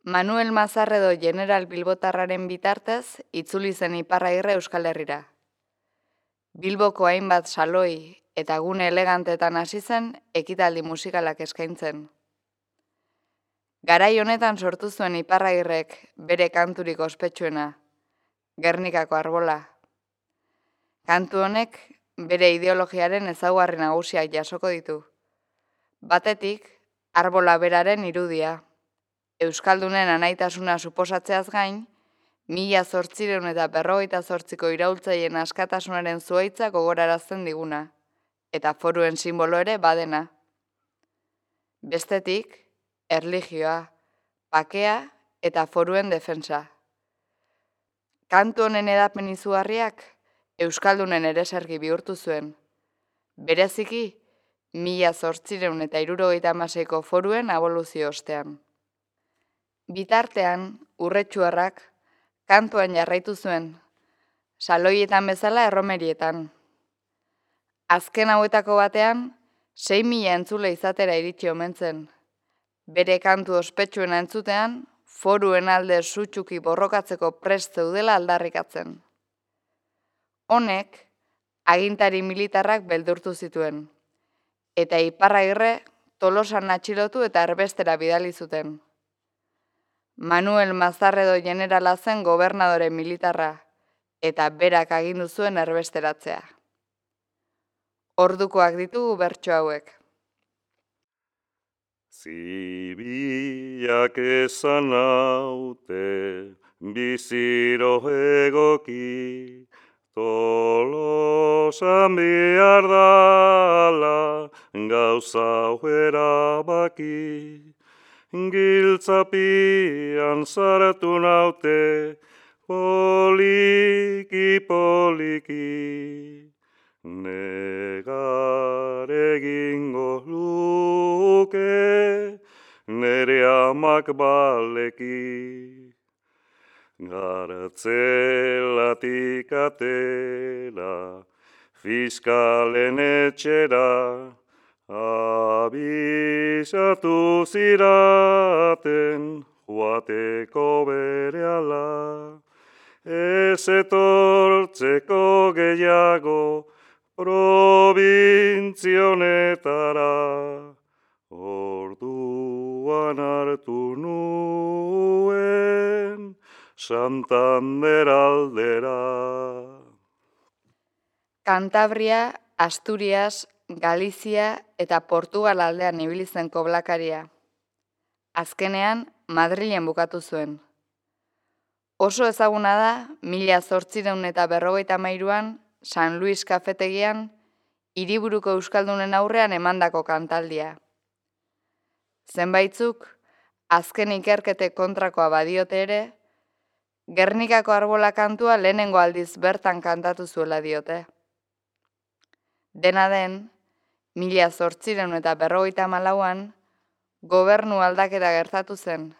Manuel Mazarredo general bilbotarraren bitartez itzuli zen Iparragirre Euskal Herrira. Bilboko hainbat saloi eta gune elegantetan hasi zen ekitaldi musikalak eskaintzen. Garai honetan sortu zuen Iparragirrek bere kanturik ospetsuena, Gernikako Arbola. Kantu honek bere ideologiaren ezaugarri nagusiak jasoko ditu. Batetik, arbola beraren irudia. Euskaldunen anaitasuna suposatzeaz gain, 1858ko iraultzaileen askatasunaren zuhaitza gogorarazten diguna, eta foruen sinbolo ere badena. Bestetik, erlijioa, bakea eta foruen defensa. Kantu honen edapen izugarriak Euskaldunen eresergi bihurtu zuen. Bereziki, 1876ko foruen aboluzio ostean. Bitartean, Urretxuarrak kantuan jarraitu zuen, saloietan bezala erromerietan. Azken hauetako batean, 6.000 entzule izatera iritsi omen zen. Bere kantu ospetsuena entzutean, foruen alde sutsuki borrokatzeko prest zeudela aldarrikatzen. Honek, agintari militarrak beldurtu zituen, eta Iparragirre Tolosan atxilotu eta erbestera bidali zuten. Manuel Mazarredo generala zen gobernadore militarra, eta berak agindu zuen erbesteratzea. Ordukoak ditugu bertso hauek. Zibiak esan naute, biziro egoki, Tolosan behar dala, gauza erabaki. Giltzapian zaratu naute, poliki, negar egingo luke, nere amak baleki. Gartzelatik atera, fiskalen etxera, abisatu ziraten joateko berehala, ez etortzeko gehiago provintzionetara, orduan hartu nuen Santander aldera. Kantabria, Asturias, Galizia eta Portugal aldean ibili zen koblakaria. Azkenean, Madrilen bukatu zuen. Oso ezaguna da, 1853an, San Luis kafetegian, hiriburuko euskaldunen aurrean emandako kantaldia. Zenbaitzuk, azken ikerketek kontrakoa badiote ere, Gernikako Arbola kantua lehenengo aldiz bertan kantatu zuela diote. Dena den, 1854an, gobernu aldaketa gertatu zen,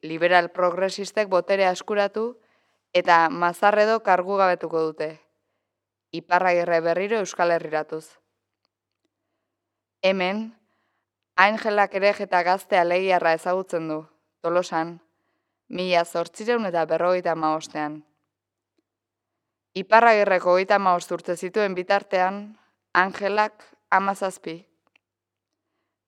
liberal progresistek boterea eskuratu eta Mazarredo kargugabetuko dute, Iparragirre berriro Euskal Herriratuz. Hemen, Angelak Erejeta gazte alegiarra ezagutzen du, Tolosan, 1855an. Iparragirreko 35 urte zituen bitartean, Angelak 17.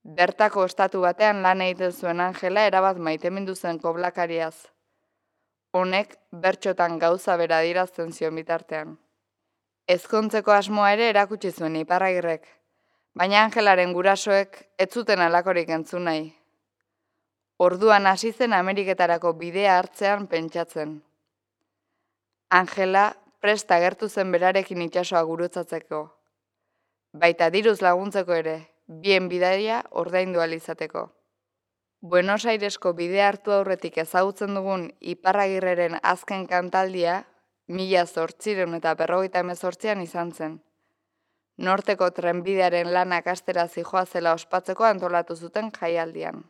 Bertako estatu batean lan egiten zuen Angela erabat maitemindu zen koblakariaz. Honek bertxotan gauza bera adierazten zion bitartean. Ezkontzeko asmoa ere erakutsi zuen Iparragirrek, baina Angelaren gurasoek ez zuten halakorik entzun nahi. Orduan hasi zen Ameriketarako bidea hartzean pentsatzen. Angela prest agertu zen berarekin itsasoa gurutzatzeko. Baita diruz laguntzeko ere, bien bidaia ordaindu ahal izateko. Buenos Airesko bidea hartu aurretik ezagutzen dugun Iparragirreren azken kantaldia 1858an izan zen. Norteko trenbidearen lanak astera zijoazela ospatzeko antolatu zuten jaialdian.